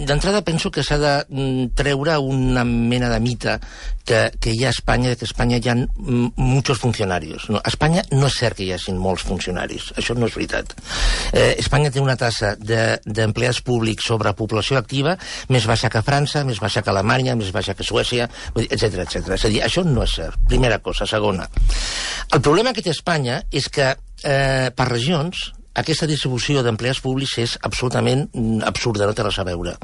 d'entrada penso que s'ha de treure una mena de mite que hi ha a Espanya, que a Espanya hi ha muchos funcionarios. No, a Espanya no és cert que hi hagi molts funcionaris, això no és veritat. Espanya té una tassa d'empleats públics sobre població activa més baixa que França, més baixa que Alemanya, més baixa que Suècia, etc etc. És a dir, això no és cert. Primera cosa. Segona, el problema que té Espanya és que per regions aquesta distribució d'empleats públics és absolutament absurda, no té res a veure.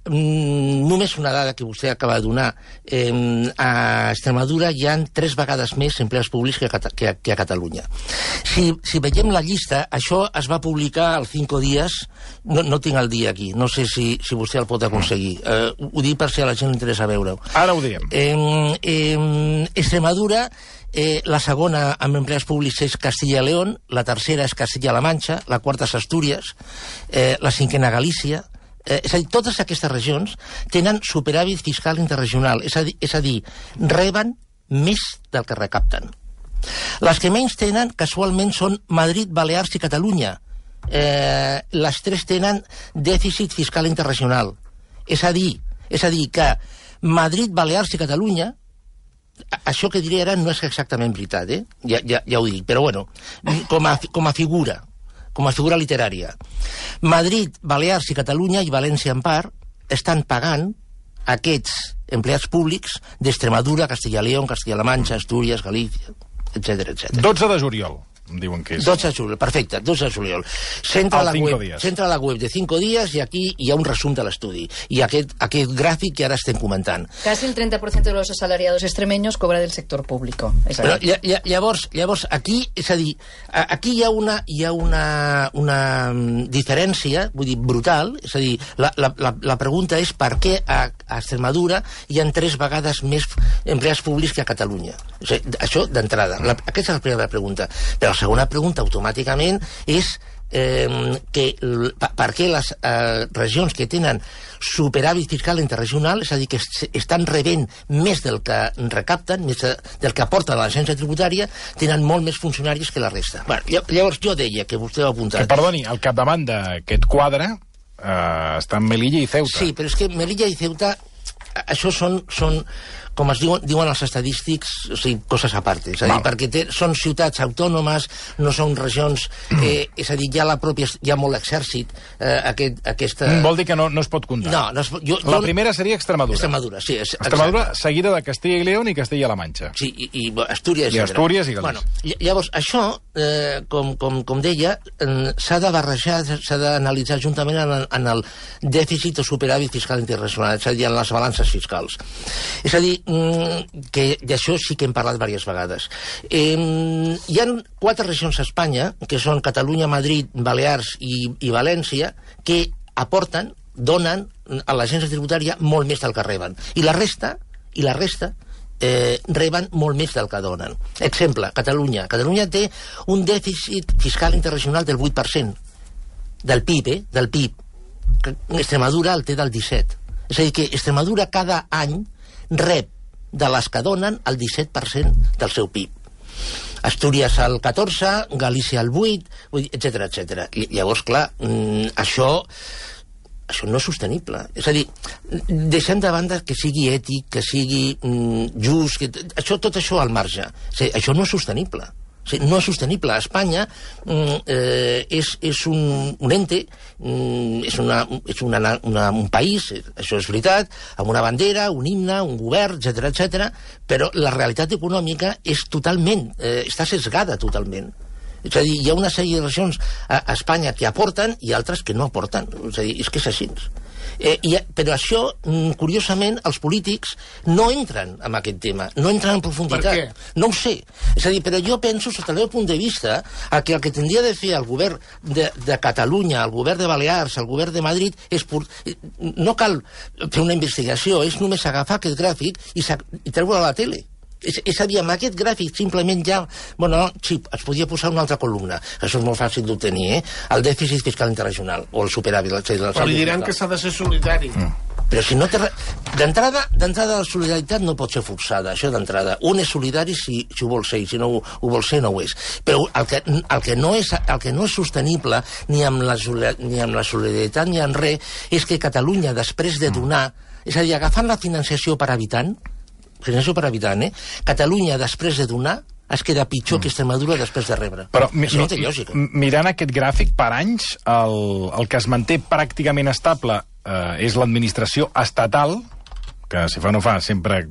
Només una dada que vostè acaba de donar. A Extremadura hi ha 3 vegades més empleats públics que a Catalunya. Si veiem la llista, això es va publicar al 5 dies, no tinc el dia aquí, no sé si vostè el pot aconseguir. Ho dic per si a la gent li interessa veure-ho. Ara ho diem. Extremadura, la segona amb empleats públics és Castilla y León, la tercera és Castilla-La Manxa, la quarta és Astúries, la cinquena Galícia. És a dir, totes aquestes regions tenen superàvit fiscal interregional, és a dir, reben més del que recapten. Les que menys tenen, casualment, són Madrid, Balears i Catalunya. Les 3 tenen dèficit fiscal interregional. És a dir que Madrid, Balears i Catalunya, això que diré ara no és exactament veritat, ja ho dic, però bueno, com a figura literària. Madrid, Balears i Catalunya i València en part estan pagant aquests empleats públics d'Extremadura, Castilla y León, Castilla-La Manxa, Astúries, Galícia, etc etc. 12 de juliol. Em diuen que és. 12 de juliol, perfecte, 12 de juliol. S'entra a la web de 5 dies i aquí hi ha un resum de l'estudi. I aquest gràfic que ara estem comentant. Casi el 30% de los asalariados extremeños cobra del sector público. Però, llavors, aquí, és a dir, aquí hi ha una diferència, vull dir, brutal, és a dir, la pregunta és per què a Extremadura hi ha 3 vegades més empleats públics que a Catalunya. O sigui, això d'entrada. Aquesta és la primera pregunta. Però la segona pregunta automàticament és per què les regions que tenen superàvit fiscal interregional, és a dir, que estan rebent més del que recapten, més del que aporta l'agència tributària, tenen molt més funcionaris que la resta. Llavors jo deia, que vostè ho ha apuntat... Que, perdoni, al capdavant d'aquest quadre estan Melilla i Ceuta. Sí, però és que Melilla i Ceuta, això són com es diuen els estadístics, o sigui, coses a part. És a dir, perquè són ciutats autònomes, no són regions... és a dir, hi ha molt exèrcit. Vol dir que no es pot comptar. No, la primera seria Extremadura. Extremadura, sí. Extremadura, seguida de Castilla y León i Castilla-La Manxa. Sí, i Astúries. I Astúries i Galícia. Bueno, llavors, això, com deia, s'ha de barrejar, s'ha d'analitzar juntament en el dèficit o superàvit fiscal internacional, és a dir, en les balances fiscals. És a dir, que d'això sí que hem parlat diverses vegades. Hi ha 4 regions a Espanya, que són Catalunya, Madrid, Balears i València, que aporten, donen a l'agència tributària molt més del que reben. I la resta reben molt més del que donen. Exemple, Catalunya. Catalunya té un dèficit fiscal internacional del 8% del PIB, del PIB. Extremadura el té del 17%. És a dir, que Extremadura cada any rep de les que donen el 17% del seu PIB. Astúries el 14%, Galícia el 8%, etc etc. Llavors, clar, això no és sostenible. És a dir, deixem de banda que sigui ètic, que sigui just, tot això al marge. Això no és sostenible. No és sostenible. A Espanya és un ente, és un país, això és veritat, amb una bandera, un himne, un govern, etc etc. Però la realitat econòmica és totalment, està sesgada totalment. És a dir, hi ha una sèrie de regions a Espanya que aporten i altres que no aporten. És a dir, és que és així. Però això, curiosament, els polítics no entren en aquest tema, no entren en profunditat. Per què? No ho sé. És a dir, però jo penso, sota el meu punt de vista, que el que tindria de fer el govern de Catalunya, el govern de Balears, el govern de Madrid, no cal fer una investigació, és només agafar aquest gràfic i treure-lo a la tele. És a dir, amb aquest gràfic simplement ja... Bueno, sí, es podia posar una altra columna. Això és molt fàcil d'obtenir, el dèficit fiscal interregional, o el superàvit. Però li diran que s'ha de ser solidari. Però si no té... D'entrada, la solidaritat no pot ser forçada, això d'entrada. Un és solidari si ho vol ser, i si no ho vol ser, no ho és. Però el que no és sostenible, ni amb la solidaritat ni amb res, és que Catalunya, després de donar... És a dir, agafant la financiació per habitant, Catalunya, després de donar, es queda pitjor que Extremadura després de rebre. Però això no té lògica. Mirant aquest gràfic per anys, el que es manté pràcticament estable és l'administració estatal, que si fa no fa sempre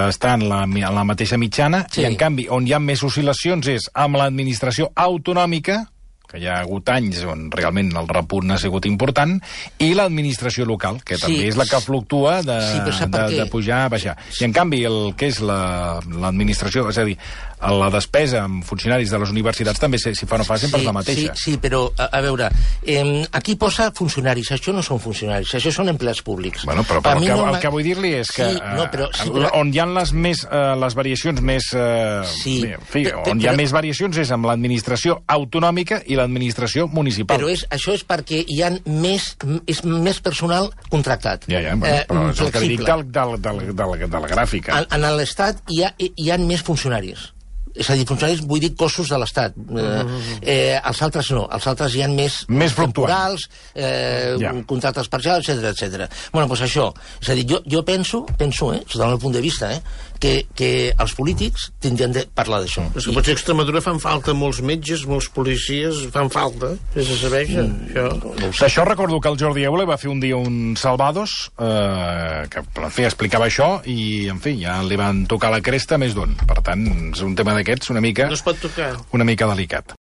està en la mateixa mitjana, i en canvi on hi ha més oscil·lacions és amb l'administració autonòmica, que hi ha hagut anys on realment el repunt ha sigut important, i l'administració local, que també és la que fluctua de pujar a baixar. I en canvi el que és l'administració, és a dir, la despesa amb funcionaris de les universitats també, si fa no fa, sempre és la mateixa. Sí, però, a veure, aquí posa funcionaris, això no són funcionaris, això són empleats públics. Bueno, però el que vull dir-li és que on hi ha les variacions més... on hi ha més variacions és amb l'administració autonòmica i l'administració municipal. Però això és perquè hi ha més personal contractat. Però és el que li dic de la gràfica. En l'Estat hi ha més funcionaris. És a dir, funcionaris, vull dir, cossos de l'Estat. Els altres no. Els altres hi ha més temporals, contractes parcials, etc. Bueno, doncs això. És a dir, jo penso, sota el meu punt de vista, que els polítics tindrien de parlar d'això. És que potser a Extremadura fan falta molts metges, molts policies, fan falta. És a saber, això. D'això recordo que el Jordi Eule va fer un dia un Salvados, que, en fi, explicava això, i, en fi, ja li van tocar la cresta més d'un. Per tant, és un tema d'aquests una mica... No es pot tocar. Una mica delicat.